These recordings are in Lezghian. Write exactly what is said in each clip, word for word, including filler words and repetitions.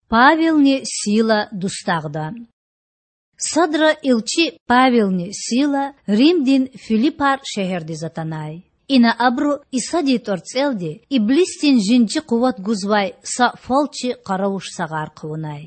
Павелни Сила дустагъда. Садра илчи Павелни Сила Римдин Филиппар шегьердиз атанай. Ина абуру Исадин тІварцІелди иблисдин жинжи къуват гузвай са фалчи-къаравуш сагъар хъувунай.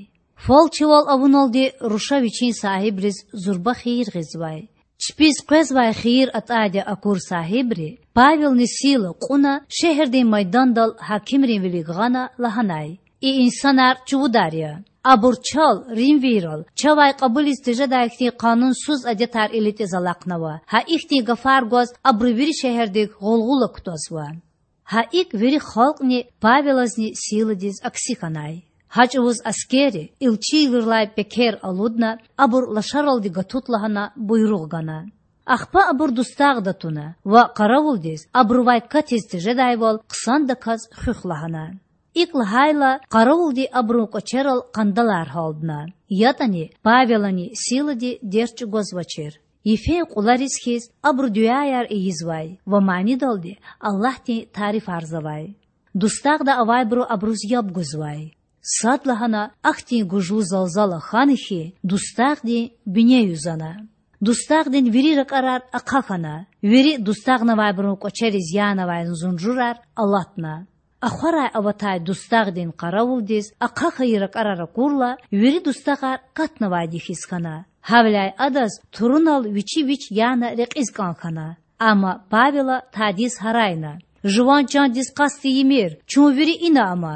Фалчивал авуналди руша вичин сагьибриз зурба хийир гъизвай. Чпиз къвезвай хийир атІайди акур сагьибри Павелни Сила кьуна шегьердин майдандал гьакимрин вилик гъана, лагьанай: И инсанар чувудар я. Абур чал, римвийрал, чавай кьабулиз тежедай хьтин къанунсуз адетар илитІиз алахънава. Гьа ихьтин гафар гваз абуру вири шегьердик гъулгъула кутазва. Гьа икІ вири халкьни Павелазни Силадиз акси хьанай. Гьа чІавуз аскерри, илчийрилай пекер алудна, абур лашаралди гатут лагьана буйругъ гана. Ахпа абур дустагъда туна ва къаравулдиз абурувай катиз тежедайвал хъсандаказ хуьх лагьана. ИкІ лагьайла, къаравулди абурун кІвачерал къандалар гьалдна. ЯтІани Павелани Силади дерт чІугвазвачир. Йифен кьулариз хьиз, абуру дуьаяр ийизвай ва манидалди Аллагьдин тарифарзавай. Дустагъда авайбуру абуруз яб гузвай. Садлагьана ахьтин гужлу залзала хьана хьи, дустагъдин бине юзана. Дустагъдин вири ракІарар ахъа хьана, вири дустагънавайбурун кІвачериз янавай зунжурар алатна. Ахварай аватай дустагъдин къаравулдиз ахъа хьайи ракІарар акурла, вири дустагъар катнавайди хьиз хьана. Гьавиляй адаз турунал вичи вич яна рекьиз кІан хьана. Амма Павела тадиз гьарайна: Жуван чандиз къаст ийимир, чун вири ина ама.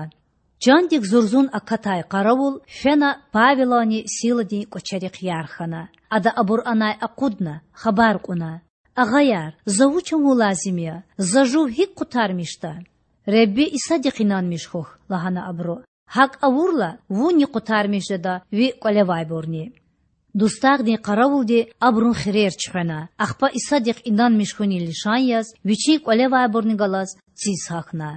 Чандик зурзун акатай къаравул фена Павеланни Силадин кІвачерихъ ярх хьана. Ада абур анай акъудна, хабар кьуна: Агъаяр, за вуч авун лазим я? За жув гьикІ къутармишда? Худа Исадихъ инанмиш хьухь,— лагьана абуру,— гьакІ авурла вунни къутармиш жеда, ви кІвалевайбурни. Дустагъдин къаравулди абурун хирер чуьхвена, ахпа Исадихъ инанмиш хьунин лишан яз вичин кІвалевайбурни галаз циз гьахьна.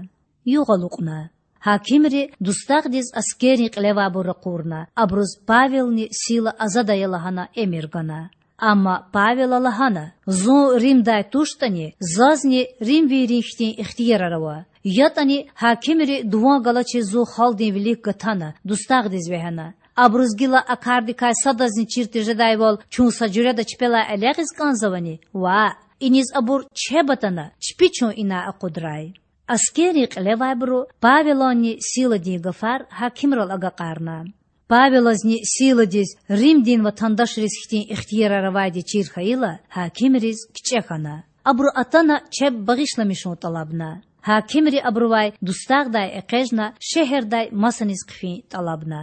Югъ алукьна. Гьакимри дустагъдиз аскеррин кьилевайбур ракъурна, абуруз Павелни Сила азад ая лагьана эмир гана. Амма Павела лагьана: Зун Римдай туштІани, зазни римвийрин хьтин ихтиярар ава. ЯтІани гьакимри дуван галачиз зун халкьдин вилик гатана, дустагъдиз вегьена. Абуруз гила а кардикай садазни чир тежедайвал, чун са жуьреда чпелай элягъиз кІанзавани? Ваъ, иниз абур чеб атана, чпи чун инай акъудрай. Аскеррин кьилевайбуру Павеланни Силадин гафар гьакимрал агакьарна. Павелазни Силадиз Римдин ватандашриз хьтин ихтиярар авайди чир хьайила, гьакимриз кичІе хьана. Абуру атана чеб багъишламишун тІалабна. Гьакимри абурувай дустагъдай экъечІна шегьердай масаниз хъфин тІалабна.